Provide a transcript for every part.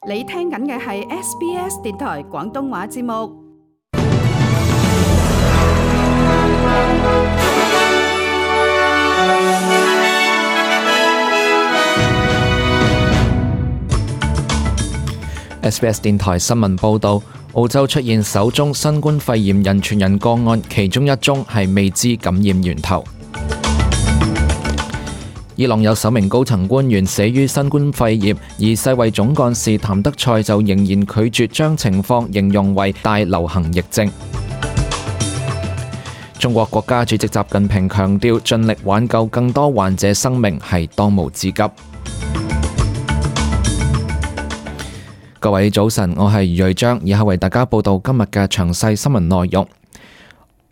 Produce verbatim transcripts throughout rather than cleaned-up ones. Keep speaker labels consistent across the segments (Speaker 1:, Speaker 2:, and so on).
Speaker 1: 你聽緊嘅係 S B S 電台廣東話節目。
Speaker 2: S B S 電台新聞報導，澳洲出現首宗新冠肺炎人傳人個案，其中一宗係未知感染源頭。伊朗有首名高層官員死於新冠肺炎，而世衛總幹事譚德塞就仍然拒絕將情況形容為大流行疫症。中國國家主席習近平強調，盡力挽救更多患者生命係當務之急。各位早晨，我係余瑞章，以下為大家報道今日嘅詳細新聞內容。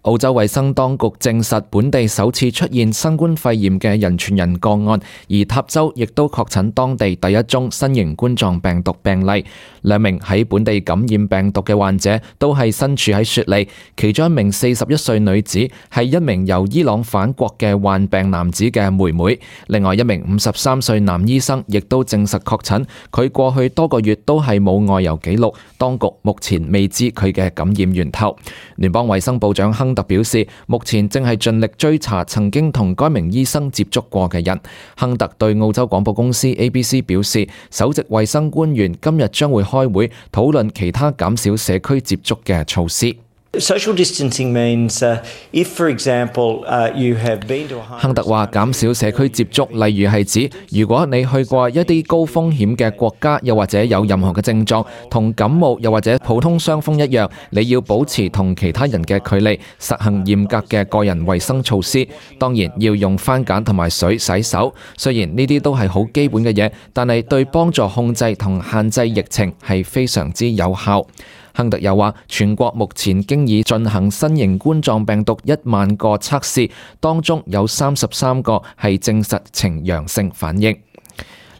Speaker 2: 澳洲衛生當局證實本地首次出現新冠肺炎嘅人傳人個案，而塔州亦都確診當地第一宗新型冠狀病毒病例。兩名喺本地感染病毒嘅患者都係身處喺雪梨，其中一名四十一歲女子係一名由伊朗返國嘅患病男子嘅妹妹，另外一名五十三歲男醫生亦都證實確診，佢過去多個月都係冇外遊記錄，當局目前未知佢嘅感染源頭。聯邦衛生部長亨特表示，目前正係盡力追查曾經同該名醫生接觸過嘅人。亨特對澳洲廣播公司 A B C 表示，首席衛生官員今日將會開會討論其他減少社區接觸嘅措施。
Speaker 3: Social distancing means, uh, if, for example, uh, you have been to a high...
Speaker 2: 亨特話減少社區接觸，例如係指如果你去過一啲高風險嘅國家，又或者有任何嘅症狀，同感冒又或者普通傷風一樣，你要保持同其他人嘅距離，實行嚴格嘅個人衛生措施。當然要用番梘同埋水洗手。雖然呢啲都係好基本嘅嘢，但係對幫助控制同限制疫情係非常之有效。亨特又話，全國目前經已進行新型冠狀病毒一萬個測試，當中有三十三個係證實呈陽性反應。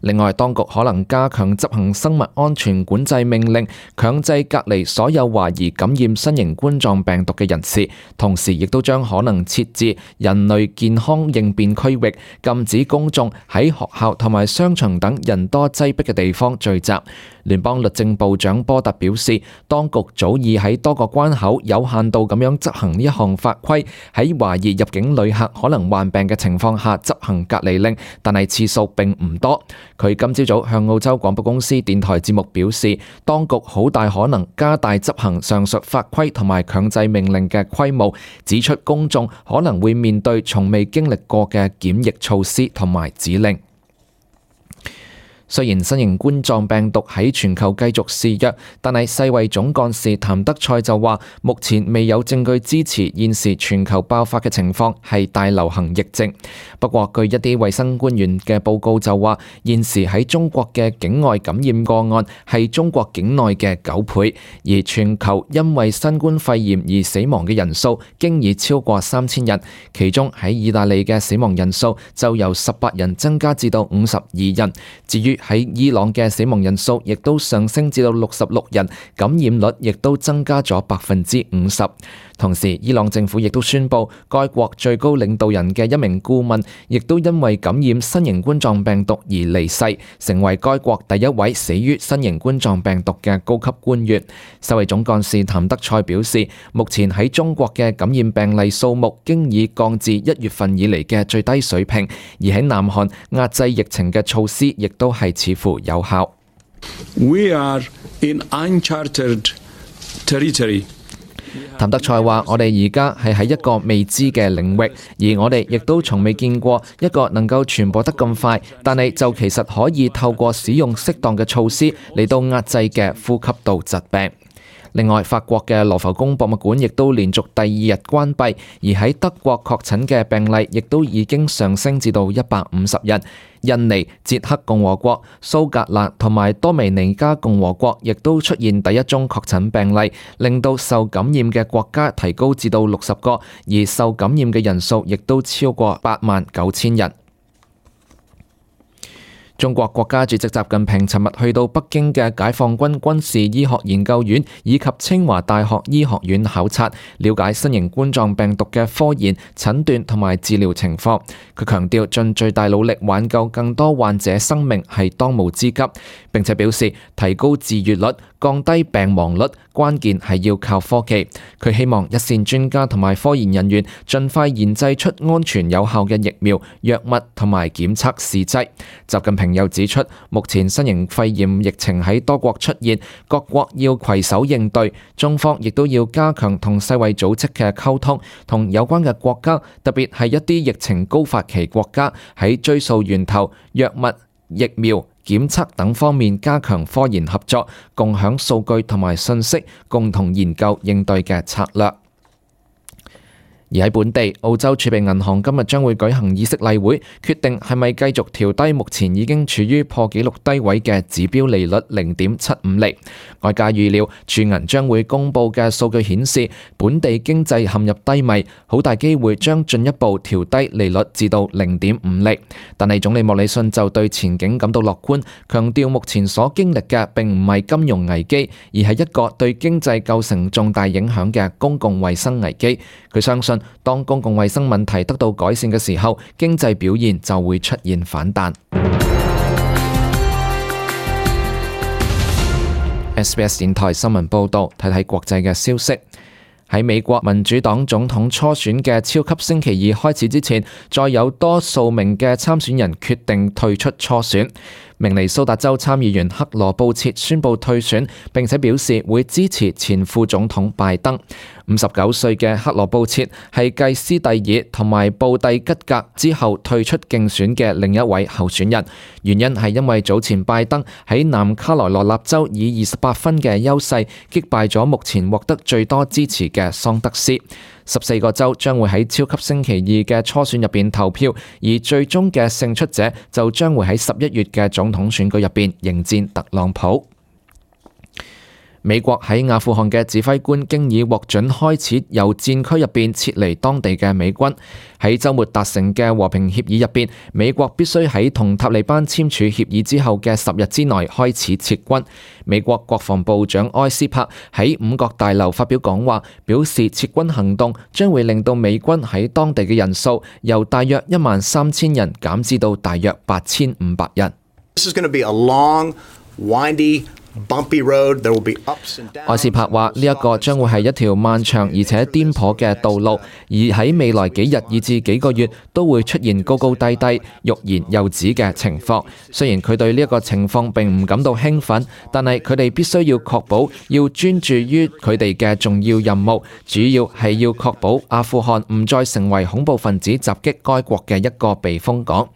Speaker 2: 另外，當局可能加強執行生物安全管制命令，強制隔離所有懷疑感染新型冠狀病毒嘅人士，同時亦都將可能設置人類健康應變區域，禁止公眾喺學校同埋商場等人多擠迫嘅地方聚集。聯邦律政部長波特表示，當局早已喺多個關口有限度咁樣執行呢一項法規，喺懷疑入境旅客可能患病嘅情況下執行隔離令，但係次數並唔多。佢今朝早向澳洲廣播公司電台節目表示，當局好大可能加大執行上述法規同埋強制命令嘅規模，指出公眾可能會面對從未經歷過嘅檢疫措施同埋指令。雖然新型冠狀病毒喺全球繼續肆虐，但係世衛總幹事譚德塞就話，目前未有證據支持現時全球爆發嘅情況係大流行疫症。不過，據一啲衛生官員嘅報告就話，現時喺中國嘅境外感染個案係中國境內嘅九倍，而全球因為新冠肺炎而死亡嘅人數經已超過三千人，其中喺意大利嘅死亡人數就由十八人增加至到五十二人。至於喺伊朗嘅死亡人數亦都上升至到六十六人，感染率亦都增加咗百分之五十。同時，伊朗政府亦都宣布，該國最高領導人嘅一名顧問亦都因為感染新型冠狀病毒而離世，成為該國第一位死於新型冠狀病毒嘅高級官員。世衛總幹事譚德塞表示，目前喺中國嘅感染病例數目經已降至一月份以嚟嘅最低水平，而喺南韓壓制疫情嘅措施亦都係似乎有效。
Speaker 4: We are in uncharted territory.
Speaker 2: 譚德塞話：我哋而家係喺一個未知嘅領域，而我哋亦都從未見過一個能夠傳播得咁快，但係就其實可以透過使用適當嘅措施嚟到壓制嘅呼吸道疾病。另外，法國嘅羅浮宮博物館亦都連續第二日關閉，而喺德國確診嘅病例亦都已經上升至到一百五十人。印尼、捷克共和國、蘇格蘭同埋多米尼加共和國亦都出現第一宗確診病例，令到受感染嘅國家提高至到六十個，而受感染嘅人數亦都超過八萬九千人。中國國家主席習近平尋日去到北京嘅解放軍軍事醫學研究院以及清華大學醫學院考察，了解新型冠狀病毒嘅科研、診斷同埋治療情況。佢強調盡最大努力挽救更多患者生命係當務之急，並且表示提高治癒率、降低病亡率，關鍵係要靠科技。佢希望一線專家同埋科研人員盡快研製出安全有效嘅疫苗、藥物同埋檢測試劑。習近平又指出，目前新型肺炎疫情喺多國出現，各國要攜手應對，中方亦都要加強同世衛組織嘅溝通，同有關嘅國家，特別係一啲疫情高發期國家，喺追溯源頭、藥物、疫苗、檢測等方面加強科研合作，共享數據同埋信息，共同研究應對嘅策略。而喺本地，澳洲儲備銀行今日將會舉行議息例會，決定係咪繼續調低目前已經處於破紀錄低位嘅指標利率零點七五厘。外界預料儲銀將會公佈嘅數據顯示，本地經濟陷入低迷，好大機會將進一步調低利率至到零點五厘。但係總理莫里遜就對前景感到樂觀，強調目前所經歷嘅並唔係金融危機，而係一個對經濟構成重大影響嘅公共衛生危機。佢相信，當公共衛生問題得到改善嘅時候，經濟表現就會出現反彈。S B S 電台新聞報道，睇睇國際嘅消息。喺美國民主黨總統初選嘅超級星期二開始之前，再有多數名嘅參選人決定退出初選。明尼蘇達州參議員克羅布切宣布退選，並且表示會支持前副總統拜登。五十九歲嘅克羅布切係繼斯蒂爾同埋布蒂吉格之後退出競選嘅另一位候選人，原因係因為早前拜登喺南卡羅來納州以二十八分嘅優勢擊敗咗目前獲得最多支持嘅桑德斯。十四個州將會喺超級星期二嘅初選入邊投票，而最終嘅勝出者就將會喺十一月嘅總統選舉入邊迎戰特朗普。美國喺阿富汗嘅指揮官經已獲准開始由戰區入邊撤離當地嘅美軍。喺週末達成嘅和平協議入邊，美國必須喺同塔利班簽署協議之後嘅十日之內開始撤軍。美國國防部長埃斯珀喺五角大樓發表講話，表示撤軍行動將會令到美軍喺當地嘅人數由大約一萬三千人減至到大約八千五百人。
Speaker 5: This is going to be a long, windy bumpy road. There will be ups and downs.
Speaker 2: 埃斯珀話：呢一個將會係一條漫長而且顛簸嘅道路，而喺未來幾日以至幾個月都會出現高高低低、欲言又止嘅情況。雖然佢對呢一個情況並唔感到興奮，但係佢哋必須要確保要專注於佢哋嘅重要任務，主要係要確保阿富汗唔再成為恐怖分子襲擊該國嘅一個避風港。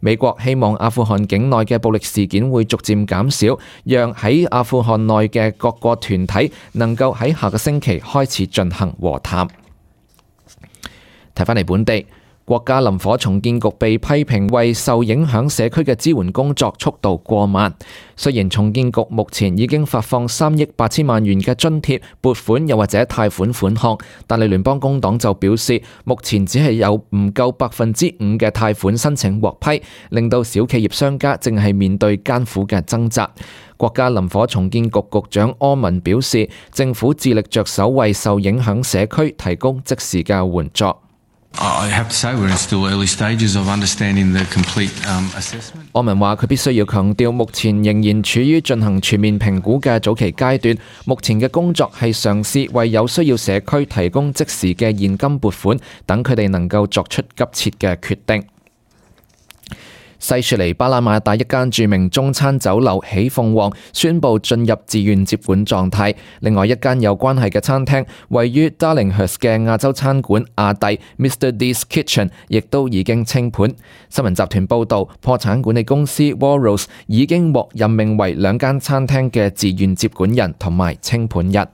Speaker 2: 美國希望阿富汗境內嘅暴力事件會逐漸減少，讓喺阿富汗內嘅各個團體能夠喺下個星期開始進行和談。睇返嚟本地，國家林火重建局被批評為受影響社區嘅支援工作速度過慢。雖然重建局目前已經發放三億八千萬元嘅津貼、撥款又或者貸款款項，但係聯邦工黨就表示，目前只係有唔夠百分之五嘅貸款申請獲批，令到小企業商家正係面對艱苦嘅掙扎。國家林火重建局局長柯文表示，政府致力着手為受影響社區提供即時嘅援助。
Speaker 6: I have to say we're in still early stages of understanding the complete um, assessment.
Speaker 2: 柯文話：佢必須要強調，目前仍然處於進行全面評估嘅早期階段。目前嘅工作係嘗試為有需要社區提供即時嘅現金撥款，等佢哋能夠作出急切嘅決定。西雪梨巴拿馬大一間著名中餐酒樓喜鳳凰宣布進入自願接管狀態。另外一間有關係嘅餐廳，位於 Darlinghurst 嘅亞洲餐館亞帝 Mister D's Kitchen 亦都已經清盤。新聞集團報導，破產管理公司 Walrus 已經獲任命為兩間餐廳嘅自願接管人同埋清盤人。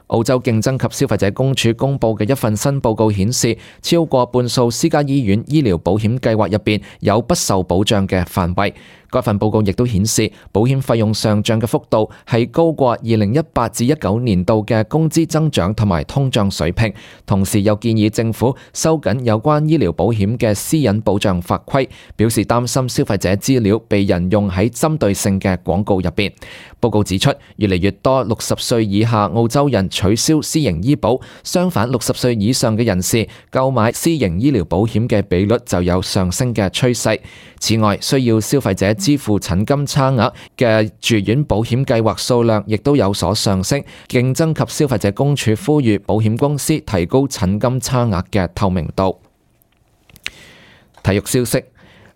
Speaker 2: 澳洲競爭及消費者公署公佈嘅一份新報告顯示，超過半數私家醫院醫療保險計劃入邊有不受保障嘅範圍。該份報告亦都顯示，保險費用上漲嘅幅度係高過二零一八至一九年度嘅工資增長同埋通脹水平。同時又建議政府收緊有關醫療保險嘅私隱保障法規，表示擔心消費者資料被人用喺針對性嘅廣告入邊。報告指出，越嚟越多六十歲以下澳洲人取消私營醫保，相反六十歲以上嘅人士購買私營醫療保險嘅比率就有上升嘅趨勢。此外，需要消費者支付診金差額嘅住院保險計劃數量亦都有所上升。競爭及消費者公署呼籲保險公司提高診金差額嘅透明度。體育消息。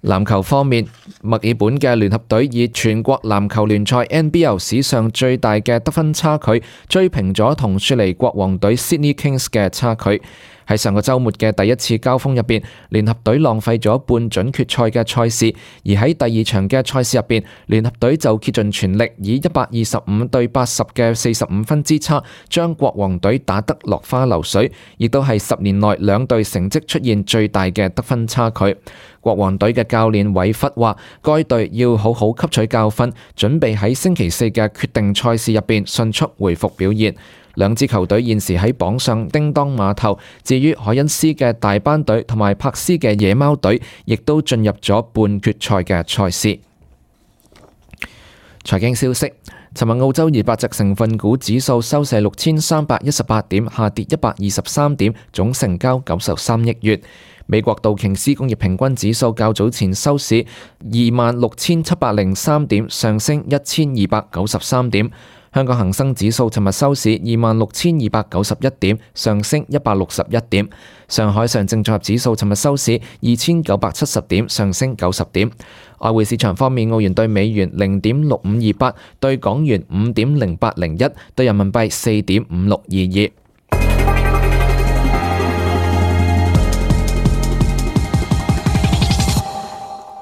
Speaker 2: 籃球方面，墨爾本嘅聯合隊以全國籃球聯賽 N B L 史上最大嘅得分差距追平咗同雪梨國王隊 Sydney Kings 嘅差距。喺上個週末嘅第一次交鋒入邊，聯合隊浪費咗半準決賽嘅賽事，而喺第二場嘅賽事入邊，聯合隊就竭盡全力以一百二十五對八十嘅四十五分之差，將國王隊打得落花流水，亦都係十年內兩隊成績出現最大嘅得分差距。國王隊嘅教練韋弗話，該隊要好好吸取教訓，準備喺星期四嘅決定賽事入邊迅速回復表現。兩支球隊現時喺榜上叮當馬頭，至於凱恩斯嘅大班隊同埋柏斯嘅野貓隊，亦都進入咗半決賽嘅賽事。財經消息，尋日澳洲二百隻成分股指數收市六千三百一十八點，下跌一百二十三點，總成交九十三億元。美國道瓊斯工業平均指數較早前收市二萬六千七百零三點，上升一千二百九十三點。香港恒生指數尋日收市二萬六千二百九十一點，上升一百六十一點。上海上證綜合指數尋日收市二千九百七十點，上升九十點。外匯市場方面，澳元對美元零點六五二八，對港元五點零八零一，對人民幣四點五六二二。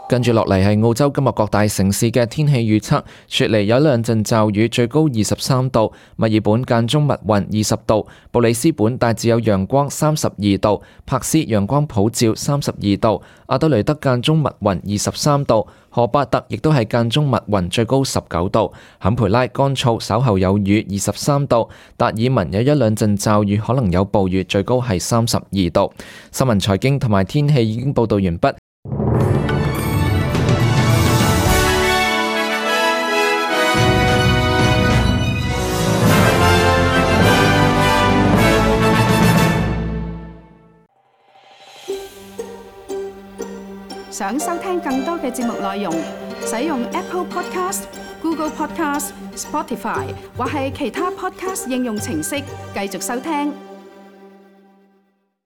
Speaker 2: 跟住落嚟係澳洲今日各大城市嘅天氣預測。雪梨有兩陣驟雨，最高二十三度；墨爾本間中密雲，二十度；布里斯本大致有陽光，三十二度；柏斯陽光普照，三十二度；阿德雷德間中密雲，二十三度；荷巴特亦都係間中密雲，最高十九度；坎培拉乾燥，稍後有雨，二十三度；達爾文有一兩陣驟雨，可能有暴雨，最高係三十二度。新聞財經同埋天氣已經報道完畢。
Speaker 1: 想收聽更多嘅節目內容，使用 Apple Podcast、Google Podcast、Spotify 或係其他 Podcast 應用程式繼續收聽。